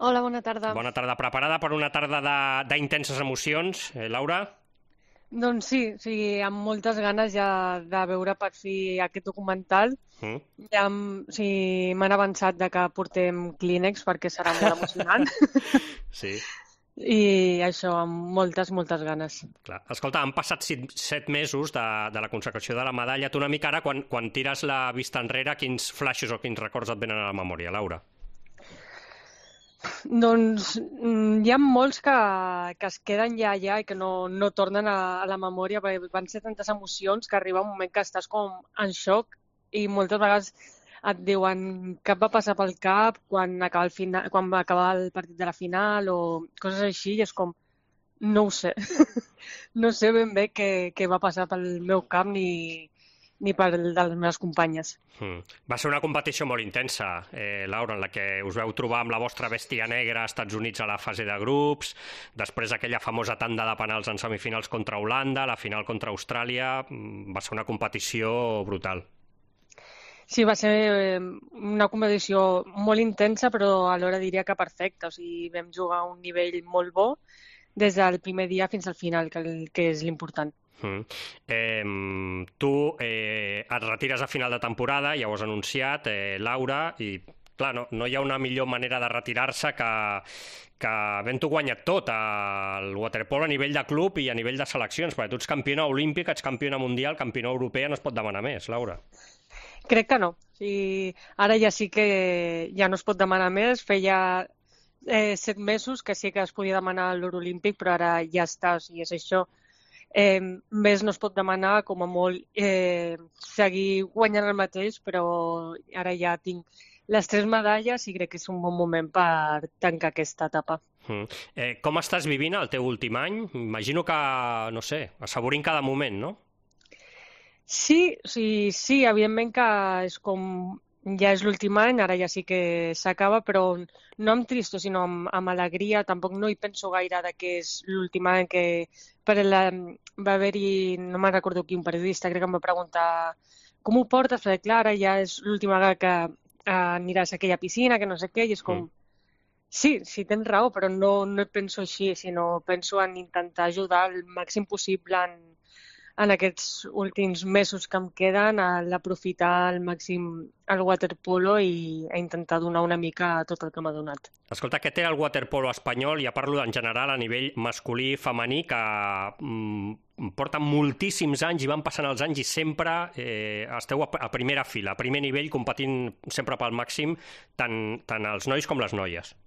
Hola, bona tarda. Bona tarda. Preparada per una tarda d'intenses emocions, Laura? Doncs sí, sí, amb moltes ganes ja de veure per fi aquest documental. Mm. Ja sí, m'han avançat de que portem Kleenex perquè serà molt emocionant Sí, i això, amb moltes, moltes ganes. clar. Escolta, han passat 7 mesos de la consecració de la medalla. Tu una mica ara, quan tires la vista enrere, quins flaixos o quins records et venen a la memòria, Laura? Doncs hi ha molts que es queden ja allà i que no tornen a la memòria perquè van ser tantes emocions que arriba un moment que estàs com en xoc i moltes vegades et diuen què et va passar pel cap quan va acabar el partit de la final o coses així i és com, no ho sé. No sé ben bé què va passar pel meu cap ni per el de les meves companyes. Va ser una competició molt intensa, Laura, en la que us veu trobar amb la vostra bèstia negra als Estats Units a la fase de grups, després aquella famosa tanda de penals en semifinals contra Holanda, la final contra Austràlia. Va ser una competició brutal. Sí, va ser una competició molt intensa, però alhora diria que perfecta. O sigui, vam jugar a un nivell molt bo des del primer dia fins al final, que és l'important. Tu et retires a final de temporada, ja ho has anunciat, Laura, i clar, no hi ha una millor manera de retirar-se que havent-ho guanyat tot, el waterpolo a nivell de club i a nivell de seleccions, perquè tu ets campiona olímpica, ets campiona mundial, campiona europea, no es pot demanar més, Laura. Crec que no. O sigui, ara ja sí que ja no es pot demanar més. Feia 7 mesos que sí que es podia demanar l'or olímpic, però ara ja està, o sigui, és això. Més no es pot demanar, com a molt seguir guanyant el mateix, però ara ja tinc les 3 medalles i crec que és un bon moment per tancar aquesta etapa. Com estàs vivint el teu últim any? Imagino que, no sé, assaborint cada moment, no? Sí, sí, sí, evidentment que és com ja és l'últim any, ara ja sí que s'acaba, però no amb tristor, sinó amb alegria. Tampoc no hi penso gaire de que és l'últim any que va haver-hi, no me'n recordo quin periodista, crec que em va preguntar com ho portes, perquè clar, ara ja és l'última vegada que aniràs a aquella piscina, que no sé què, i és com, sí, sí, tens raó, però no penso així, sinó penso en intentar ajudar el màxim possible en aquests últims mesos que em queden a l'aprofitar al màxim el waterpolo i a intentar donar una mica tot el que m'ha donat. Escolta, què té el waterpolo espanyol? Ja parlo en general a nivell masculí i femení, que porten moltíssims anys i van passant els anys i sempre esteu a primera fila, a primer nivell, competint sempre pel màxim, tant els nois com les noies.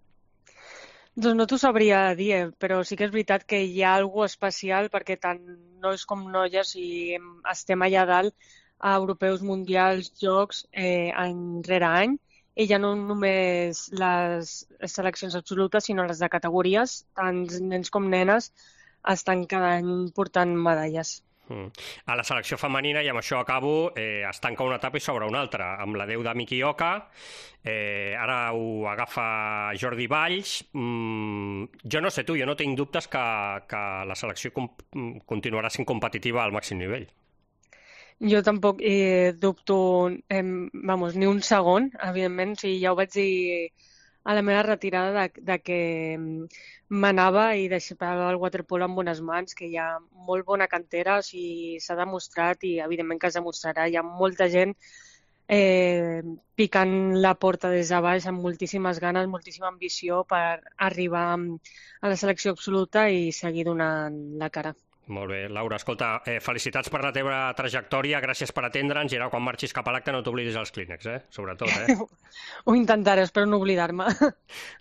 Doncs no t'ho sabria dir, però sí que és veritat que hi ha alguna especial perquè tant nois com noies estem allà dalt a europeus, mundials, jocs, any rere any, i ja no només les seleccions absolutes, sinó les de categories, tant nens com nenes estan cada any portant medalles. A la selecció femenina, i amb això acabo, es tanca una etapa i s'obre una altra, amb l'adeu de Miki Oka, ara ho agafa Jordi Valls. Jo no sé tu, jo no tinc dubtes que la selecció continuarà sent competitiva al màxim nivell. Jo tampoc dubto, ni un segon, evidentment, sí, ja ho vaig dir a la meva retirada de que m'anava i deixava el waterpolo en bones mans, que hi ha molt bona cantera, o sigui, s'ha demostrat i evidentment que es demostrarà. Hi ha molta gent picant la porta des de baix amb moltíssimes ganes, moltíssima ambició per arribar a la selecció absoluta i seguir donant la cara. Molt bé, Laura, escolta, felicitats per la teva trajectòria, gràcies per atendre'ns i ara quan marxis cap a l'acte no t'oblidis els clínex, sobretot. Ho intentaré, espero no oblidar-me.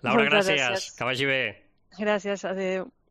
Laura, Moltes gràcies, gràcies. que vagi bé. Gràcies, adéu.